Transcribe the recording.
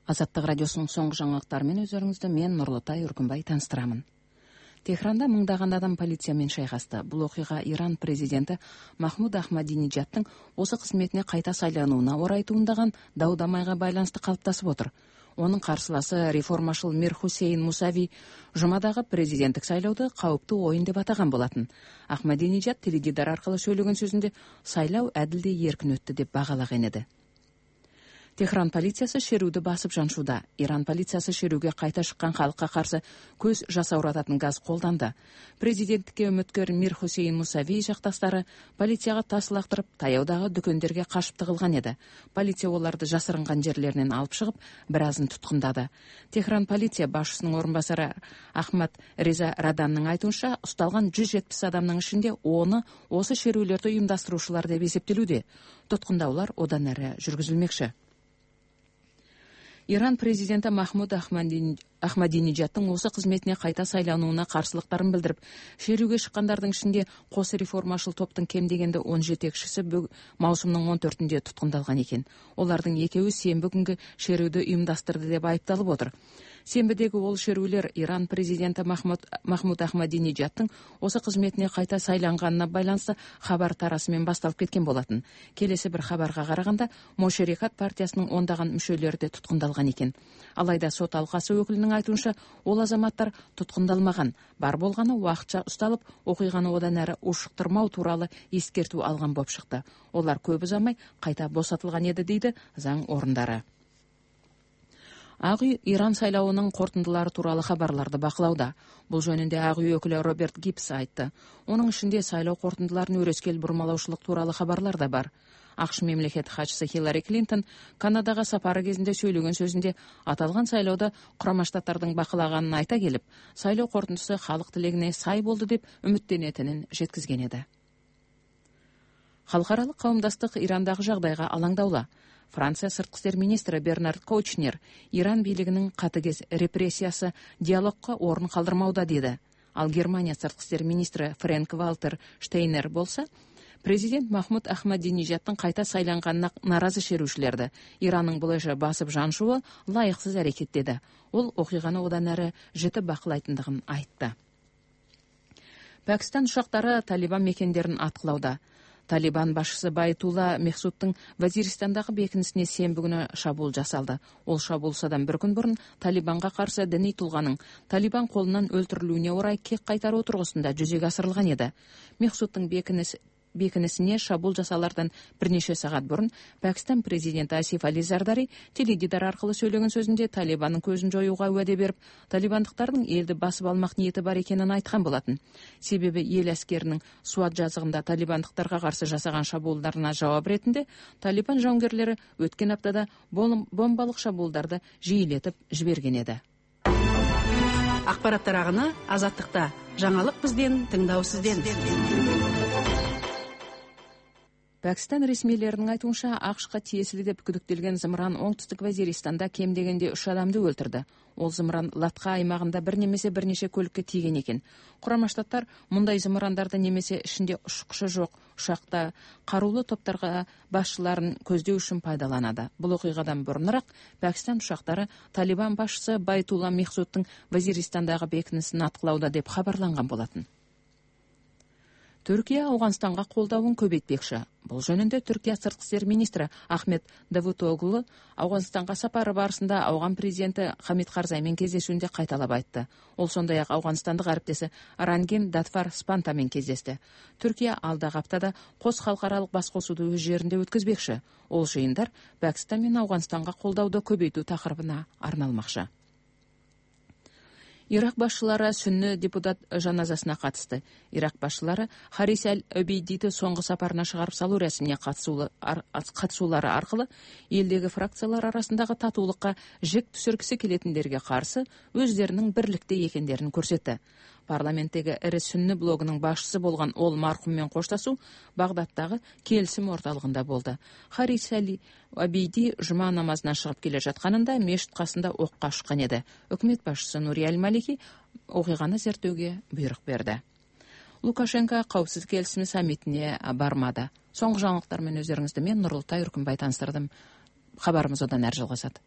Азаттык радиосунун соңку жаңылыктары менен өзүңүздү мен Нурлутай Үркүнбай таныстырамын. Техранда мыңдаган адам полиция менен шайкашты. Бул окуя Иран президенти Махмуд Ахмадинежадтын осы кызметине кайта сайланууна орай туындаган дау-дамайга байланыштуу калыптасып отур. Онун каршыласы реформашыл Мир Хусейн Мусави жумадагы президенттик шайлоодо кауптуу оюн деп атаган болотун. Ахмадинежад теледидар аркылуу сөйлөгөн сөзүндө сайлоо адилдей эркин өттү деп багалаган эди. Техран полициясы шерүүдө басып жаншууда. Иран полициясы шерүүгө кайта шыккан калкка каршы көз жасаурататын газ колданды. Президенттикке үмүткөр Мир Хусейн Мусави жакташтары полицияга таш лактырып, таяудагы дүкөндөргө кашып тыгылган эди. Полиция оларды жасырынган жерлеринен алып чыгып, бир азын туткундады. Техран полиция башчысынын орун басары Ахмад Реза Раданның айтуунча, усталган 170 адамдын ичинде 10 осы шерүүлөрдү уюмдаштыруучулар деп эсептелүүдө. Туткундаулар одан ары жүргүзүлмекчи. Иран президенти Махмуд Ахмадинежадтын осы кызметине кайта сайланууна каршылыктарын билдирип, шерүүгө чыккандардын ичинде кос реформашыл топтун кем дегенде 17 кишиси маусумдун 14-ндө туткундалган экен. Олардын экөөү сенбі күнгө шерүүдө уюмдаштырды деп айыпталып отур. Сенбидеги ол шерүүлөр Иран президенти Махмуд Ахмадинежадтын осы кызметине кайта сайланганына байланыштуу кабар тарасы менен башталып кеткен болотун. Келеси бир кабарга караганда, Мошерекат партиясынын ондаган мүчөлөрү да туткундалган экен. Алайда сот алкасы өкүлүнүн айтуунча, ол азаматтар туткундалмаган. Бар болгону убакытча ушталып, окуйганы одан ары ушуктурмоо тууралуу эскертүү алган болуп чыкты. Олар көп узамай кайта босотулган эди, дейди заң орундары. Ак үй Иран сайлоонун кортундулары тууралуу кабарларды бакылауда. Бул жөнүндө Ак үй өкүлү Роберт Гибс айтты. Онун ичинде сайлоо кортундуларын өрөскел бурмалаушулук тууралуу кабарлар да бар. АКШ мемлекет катчысы Хиллари Клинтон Канадага сапары кезинде сөйлөгөн сөзүндө аталган сайлоодо Курама Штаттардын бакылаганын айта келип, сайлоо кортундусу калк тилегине сай болду деп үмүттөнөтүнүн жеткизген эди. Халкаралык кауымдастык Ирандагы жагдайга алаңдаулы. Франция сырткы иштер министри Бернард Коучнер Иран бийлигинин катыгез репрессиясы диалогко орун калдырмауда деди. Ал Германия сырткы иштер министри Фрэнк Валтер Штейнер болсо, президент Махмуд Ахмадинежадтын кайта сайланганына наразы шерүүчүлөрдү Иранның булайша басып жаншуы лайыксыз аракет деди. Ол окуйганы одан ары жіті бакылайтындыгын айтты. Пакистан ушактары Талибан мекендерин аткылауда. Талибан башчысы Байтулла Мехсудтун Вазиристандагы бекинисине сенбі күнү шабуул жасалды. Ол шабуулсадан бир күн бурун Талибанга каршы диний тулганын Талибан колунан өлтүрүлүүнө орай кек кайтаруу тургусунда жүзөгө асырылган эди. Мехсудтун бекинисине шабуул жасалардан бир нече саат бурун Пакистан президенти Асиф Али Зардари теледидар аркылуу сөйлөгөн сөзүндө Талибандын көзүн жоюуга уаде берип, талибандыктардын элди басып алмак ниети бар экенин айткан болотун. Себеби эл аскеринин Суат жазыгында талибандыктарга каршы жасаган шабуулдарына жооп иретинде Талибан жауынгерлери өткөн аптада бомбалык шабуулдарды жиилетип жиберген эди. Акпараттар агыны Азаттыкта. Жаңалык бизден, тыңдоо сизден. Пакистан ресмийлеринин айтуунча, АКШка тиесили деп күдүктөлгөн зымыран оңтүстүк Вазиристанда кем дегенде 3 адамды өлтүрдү. Ол зымыран Латка аймагында бир нече көлүккө тийген экен. Курама Штаттар мындай зымырандарды немесе ичинде учкучу жок ушакта каруулуу топтарга башчыларын көздөй үчүн пайдаланады. Бул окуйгадан бурунураак Пакистан ушактары Талибан башчысы Байтулла Мехсудтун Вазиристандагы бекинисин аткылауда деп кабарланган болотун. Түркия Ауганстанга колдообун көбөйтпекчи. Бул жөнүндө Түркия сырткы иштер министри Ахмет Давутоглу Ауганстанга сапары барысында Ауган президенти Хамид Карзай менен кездешүүндө кайталап айтты. Ол сондай-ак ауганстандык ариптеси Рангин Датфар Спанта менен кездешти. Түркия алдагы аптада кос халкаралык баш косууду өз жеринде өткөзбекчи. Ол жыйындар Пакистан менен Ауганстанга колдообду көбөйтүү такырыбына арналмакчы. Ирак башчылары сүннү депутат жаназасына катышты. Ирак башчылары Харис аль-Обейдиди соңку сапарына чыгарып салуу рәсимине катышуулары аркылуу элдеги фракциялар арасындагы татуулукка жек түшүргүсү келетиндерге каршы өздөрүнүн бирликте экендерин көрсөттү. Парламенттеги Эре Сүннү блогунун башчысы болгон ол маркум менен кошташуу Багдадтагы келисим орталыгында болду. Харис аль-Обейди жума намазынан чыгып келе жатканында мешит касында окко ушкан эди. Өкмөт башчысы Нури аль-Малики окуйганы зерттөөгө буйрук берди. Лукашенко коопсуздук келисими саммитине бармады. Соңку жаңылыктар менен өзүңүздү мен Нурлутай Үркүнбай таныстырдым. Кабарыбыз одан ары жалгашат.